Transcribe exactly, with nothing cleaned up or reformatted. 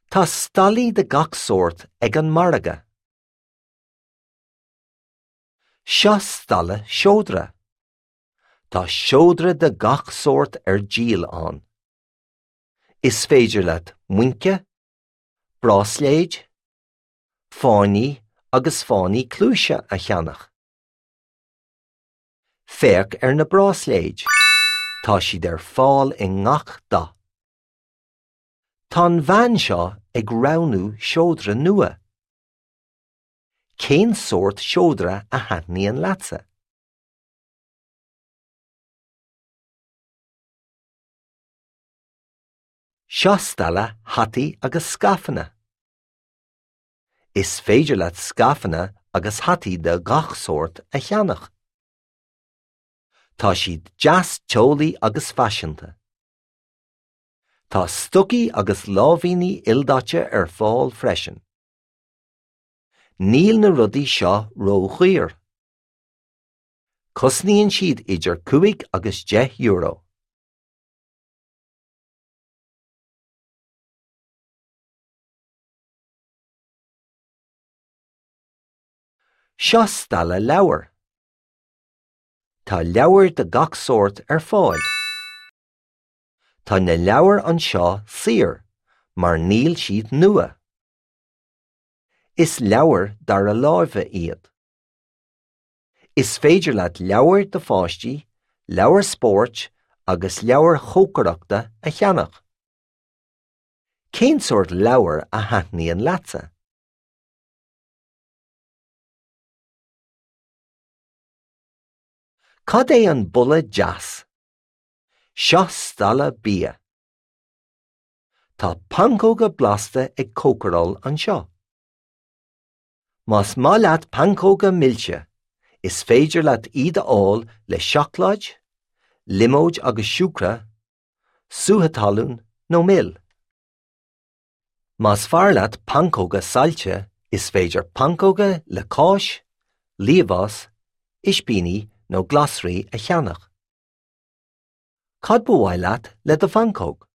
Tá stallaí de gach sórt ag an margadh. Seo stalla seodra. Tá seodra de gach sórt ar díol ann. Is féidir leat muince, bráisléid, fáinní agus fáinní cluaise a cheannach. Féach ar na bráisléid. Tá siad ar fáil i ngach dath. Tá an bhean seo ag roghnú seodra nua. Cén sórt seodra a thaitníonn leatsa? Seo stalla hataí agus scaifeanna. Is féidir leat scaifeanna agus hataí de gach sórt a cheannach. Tá siad deas teolaí agus faiseanta. Tá stocaí agus láimhíní ildaite ar fáil freisin. Níl na rudaí seo ródhaor. Cosnaíonn siad idir cúig agus deich euro. Seo stalla leabhar. Tá leabhair de gach sórt ar fáil. Tá na leabhair anseo saor, mar níl siad nua. Is leabhair dara láimhe iad. Is féidir leat leabhair do pháistí, leabhair spóirt agus leabhair chócaireachta a cheannach. Cén sórt leabhar a thaitníonn leatsa? Cad é an boladh deas? Seo stalla bia. Tá pancóga blasta ag cócaráil anseo. Más maith leat pancóga milse, is féidir leat iad a fháil le seacláid, liomóid agus siúcra, sútha talún nó mil. Más fearr leat pancóga saillte, is féidir pancóga le cáis, liamhás, ispíní nó glasraí a cheannach. Cad ba mhaith leat le do phancóg?